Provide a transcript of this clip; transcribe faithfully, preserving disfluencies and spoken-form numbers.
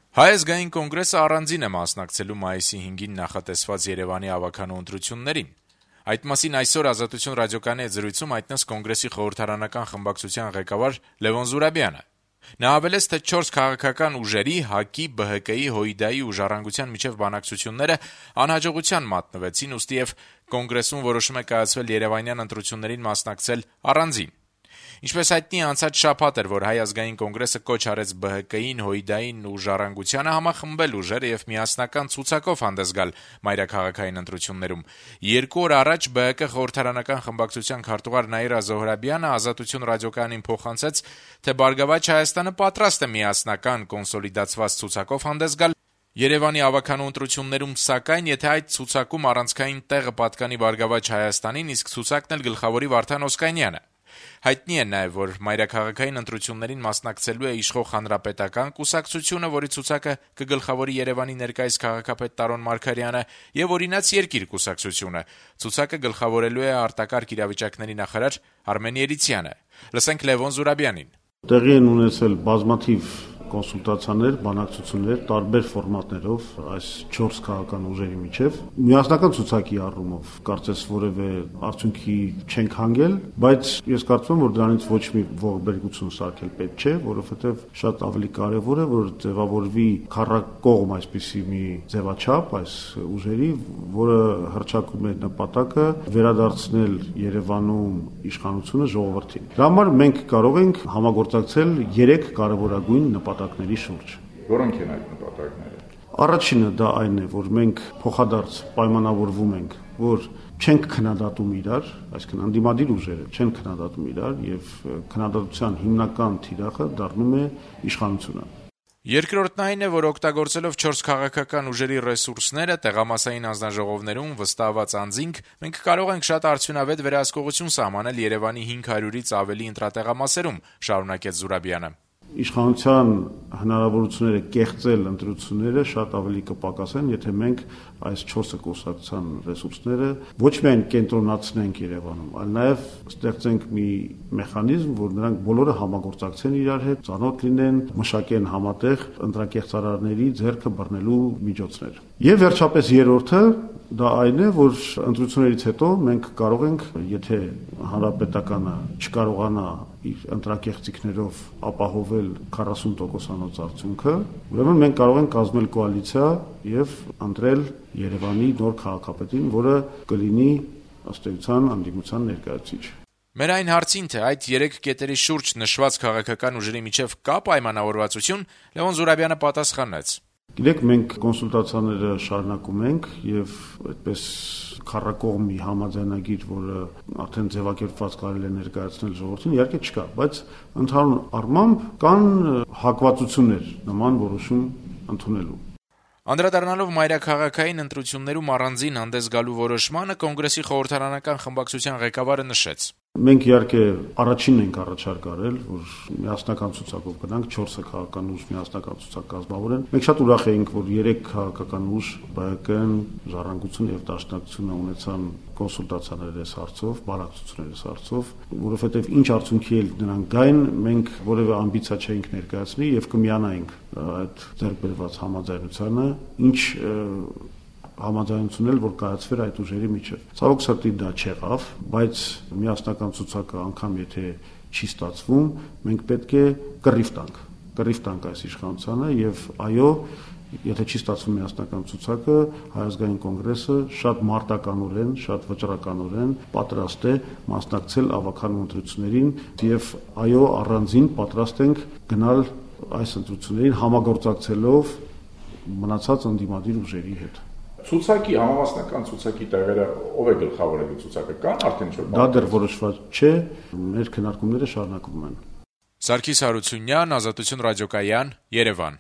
Հայ ազգային կոնգրեսը առանձին է մասնակցելու մայիսի հինգին նախատեսված Երեւանի ավականու ընտրություններին։ Այդ մասին այսօր «Ազատություն» ռադիոկայանի հետ զրույցում հայտնեց Կոնգրեսի խորհրդարանական խմբակցության ղեկավար Լեւոն Զուրաբյանը։ Նա հավելեց, թե չորս քաղաքական ուժերի՝ ՀԱԿ-ի, ԲՀԿ-ի, ՀՅԴ-ի ու «Ժառանգության» միջև բանակցությունները անհաջողության մատնվեցին, ուստիև Կոնգրեսում որոշում է կայացվել երեւանյան ընտրություններին մասնակցել առանձին։ Ինչպես հայտնի է, անցած շաբաթ էր, որ Հայ ազգային կոնգրեսը կոչ արեց ԲՀԿ-ին, ՀՅԴ-ին ու «Ժառանգությանը» համախմբել ուժերը եւ միասնական ցուցակով հանդես գալ մայրաքաղաքային ընտրություններում։ Երկու օր առաջ ԲՀԿ խորհրդարանական խմբակցության քարտուղար Նաիրա Զոհրաբյանը «Ազատություն» ռադիոկայանին փոխանցեց, թե «Բարգավաճ Հայաստանը» պատրաստ է միասնական կոնսոլիդացված ցուցակով հանդես գալ Երեւանի ավականու ընտրություններում, սակայն եթե այդ ցուցակում առանցքային տեղը պատկանի «Բարգավաճ Հայաստանին», իսկ ցուցակն էլ գլխավորի Վարդան Օսկանյանը։ Հայտնի է նաեւ, որ մայրաքաղաքային ընտրություններին մասնակցելու է իշխող Հանրապետական կուսակցությունը, որի ցուցակը կգլխավորի Երեւանի ներկայիս քաղաքապետ Տարոն Մարգարյանը, եւ «Օրինաց երկիր» կուսակցությունը։ Ցուցակը գլխավորելու է արտակարգ իրավիճակների նախարար Արմեն Երիցյանը։ Լսենք Լեւոն Զուրաբյանին։ Տեղի են ունեցել բազմաթիվ կոնսուլտացիաներ, բանակցություններ տարբեր ֆորմատներով այս չորս քաղաքական ուժերի միջև։ Միասնական ցուցակի առումով կարծես որևէ արդյունքի չենք հանգել, բայց ես կարծում եմ, որ դրանից ոչ մի ողբերգություն սարքել պետք չէ, որովհետև շատ ավելի կարևոր է, որ ձևավորվի քառակողմ այսպիսի մի ձևաչափ այս ուժերի, որը հռչակում է նպատակը վերադարձնել Երևանում իշխանությունը ժողովրդին։ Դրա համար մենք կարող ենք համագործակցել երեք կարևորագույն նպատակների շուրջ։ Որոնք են այդ նպատակները։ Առաջինը դա այն է, որ մենք փոխադարձ պայմանավորվում ենք, որ չենք քննադատում իրար, այսինքն անդիմադիր ուժերը չեն քննադատում իրար եւ քննադատության հիմնական թիրախը դառնում է իշխանությունը։ Երկրորդն այն է, որ օգտագործելով չորս քաղաքական ուժերի ռեսուրսները տեղամասային անձնաժողովներում վստահված անձինք, մենք կարող ենք շատ արդյունավետ վերահսկողություն սահմանել Երևանի հինգ հարյուրից ավելի ընտրատեղամասերում, շարունակեց Զուրաբյանը։ Իշխանության հնարավորությունները կեղծել ընտրությունները շատ ավելի կպակասեն, եթե մենք այս չորսը կուսակցության ռեսուրսները ոչ միայն կենտրոնացնենք Երևանում, այլ նաև ստեղծենք մի մեխանիզմ, որ նրանք բոլորը համագործակցեն իրար հետ, ծանոթ լինեն, մշակեն համատեղ ընտրակեղծարարների ձեռքը բռնելու միջոցներ։ Եվ վերջապես երրորդը դա այն է, որ ընտրություններից հետո մենք կարող ենք, եթե հանրապետականը չկարողանա իր ընտրակեղծիքներով ապահովել քառասուն տոկոսանոց արդյունքը, ուրեմն մենք կարող ենք կազմել կոալիցիա եւ ընտրել Երևանի նոր քաղաքապետին, որը կլինի ըստ էության անդիմության ներկայացուցիչ։ Մեր այն հարցին, թե այդ երեք կետերի շուրջ նշված քաղաքական ուժերի միջև կա պայմանավորվածություն, Լեւոն Զուրաբյանը պատասխանեց. Գիտեք, մենք կոնսուլտացիաները շարունակում ենք եւ այդպես քառակողմ մի համաձայնագիր, որը արդեն ձևակերպված կարելի է ներկայացնել ժողովրդին, իհարկե չկա, բայց ընդհանուր առմամբ կան հակվածություններ նման որոշում ընդունելու։ Անդրադառնալով մայրաքաղաքային ընտրություններում առանձին հանդես գալու որոշմանը, Կոնգրեսի խորհրդարանական խմբակցության ղեկավարը նշեց. Մենք իհարկե առաջինն ենք առաջարկ արել, որ միասնական ցուցակով գնանք, չորսը քաղաքական ուժ միասնական ցուցակ կազմավորեն։ Մենք շատ ուրախ էինք, որ երեք քաղաքական ուժ՝ ԲՀԿ-ն, Ժառանգությունը եւ Դաշնակցությունը ունեցան կոնսուլտացիաներ այս հարցով, բանակցություններ այս հարցով, որովհետեւ ինչ արդյունքի էլ նրանք գային, մենք որևէ ամբիցիա չէինք ներկայացնի եւ կմիանայինք այդ ձեռքբերված համաձայնությանը, ինչ համաձայնությունն էլ որ կայացվեր այդ ուժերի միջև։ Ցավոք սրտի դա չեղավ, բայց միասնական ցուցակը անգամ եթե չի ստացվում, մենք պետք է կռիվ տանք, կռիվ տանք այս իշխանությանը եւ այո, եթե չի ստացվում միասնական ցուցակը, Հայ ազգային կոնգրեսը շատ մարտականորեն, շատ վճռականորեն պատրաստ է մասնակցել ավականու ընտրություններին եւ այո, առանձին պատրաստ ենք գնալ այս ընտրություններին համագործակցելով մնացած անդիմադիր ուժերի հետ։ Ցուցակի համամասնական ցուցակի տեղերը ով է գլխավորելու ցուցակը կան արդեն չէ։ Դա դեռ որոշված չէ, մեր քննարկումները շարունակվում են։ Սարգիս Հարությունյան, Ազատություն ռադիոկայան, Երևան։